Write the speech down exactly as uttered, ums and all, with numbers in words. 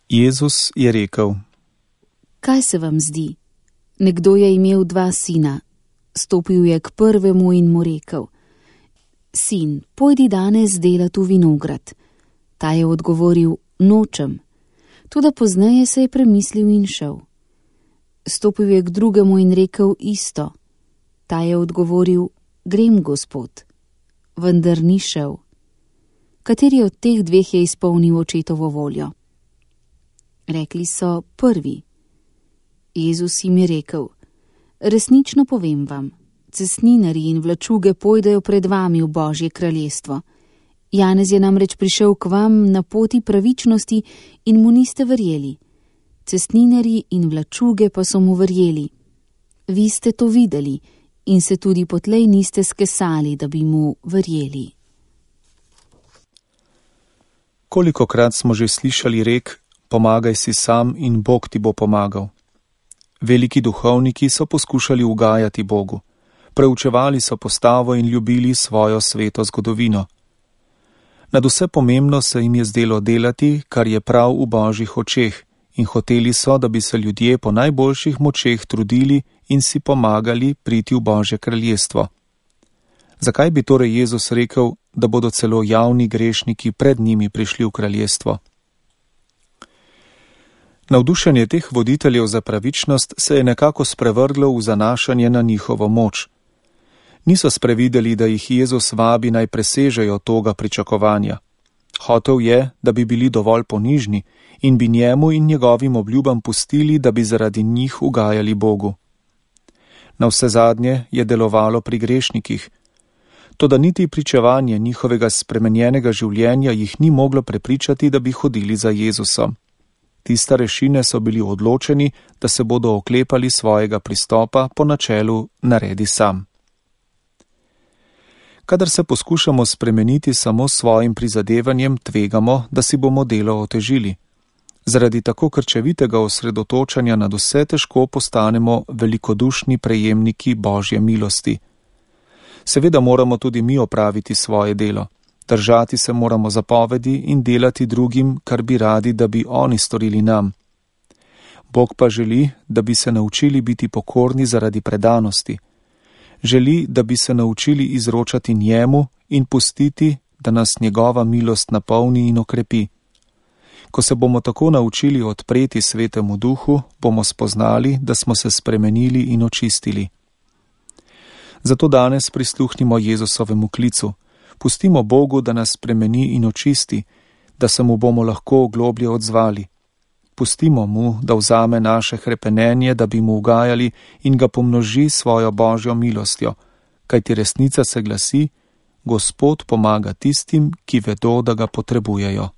Jezus je rekel: Kaj se vam zdi? Nekdo je imel dva sina. Stopil je k prvemu in mu rekel: Sin, pojdi danes delat v vinograd. Ta je odgovoril: Nočem. Toda pozneje se je premislil in šel. Stopil je k drugemu in rekel isto. Ta je odgovoril: Grem, gospod. Vendar ni šel. Kateri od teh dveh je izpolnil očetovo voljo? Rekli so: prvi. Jezus jim je rekel: Resnično povem vam, cestninarji in vlačuge pojdejo pred vami v Božje kraljestvo. Janez je namreč prišel k vam na poti pravičnosti in mu niste verjeli. Cestninarji in vlačuge pa so mu verjeli. Vi ste to videli in se tudi potlej niste skesali, da bi mu verjeli. Kolikokrat smo že slišali rek: pomagaj si sam in Bog ti bo pomagal. Veliki duhovniki so poskušali ugajati Bogu. Preučevali so postavo in ljubili svojo sveto zgodovino. Nad vse pomembno se jim je zdelo delati, kar je prav v Božjih očeh, in hoteli so, da bi se ljudje po najboljših močeh trudili in si pomagali priti v Božje kraljestvo. Zakaj bi torej Jezus rekel, da bodo celo javni grešniki pred njimi prišli v kraljestvo? Navdušenje teh voditeljev za pravičnost se je nekako sprevrglo v zanašanje na njihovo moč. Niso sprevideli, da jih Jezus vabi naj presežejo toga pričakovanja. Hotel je, da bi bili dovolj ponižni in bi njemu in njegovim obljubam pustili, da bi zaradi njih ugajali Bogu. Navsezadnje je delovalo pri grešnikih. Toda niti pričevanje njihovega spremenjenega življenja jih ni moglo prepričati, da bi hodili za Jezusom. Ti starešine so bili odločeni, da se bodo oklepali svojega pristopa po načelu naredi sam. Kadar se poskušamo spremeniti samo s svojim prizadevanjem, tvegamo, da si bomo delo otežili. Zaradi tako krčevitega osredotočanja nad vse težko postanemo velikodušni prejemniki Božje milosti. Seveda moramo tudi mi opraviti svoje delo. Držati se moramo zapovedi in delati drugim, kar bi radi, da bi oni storili nam. Bog pa želi, da bi se naučili biti pokorni zaradi predanosti. Želi, da bi se naučili izročati njemu in pustiti, da nas njegova milost napolni in okrepi. Ko se bomo tako naučili odpreti Svetemu Duhu, bomo spoznali, da smo se spremenili in očistili. Zato danes prisluhnimo Jezusovemu klicu. Pustimo Bogu, da nas spremeni in očisti, da se mu bomo lahko globlje odzvali. Pustimo mu, da vzame naše hrepenenje, da bi mu ugajali in ga pomnoži svojo Božjo milostjo, kajti resnica se glasi: Gospod pomaga tistim, ki vedo, da ga potrebujejo.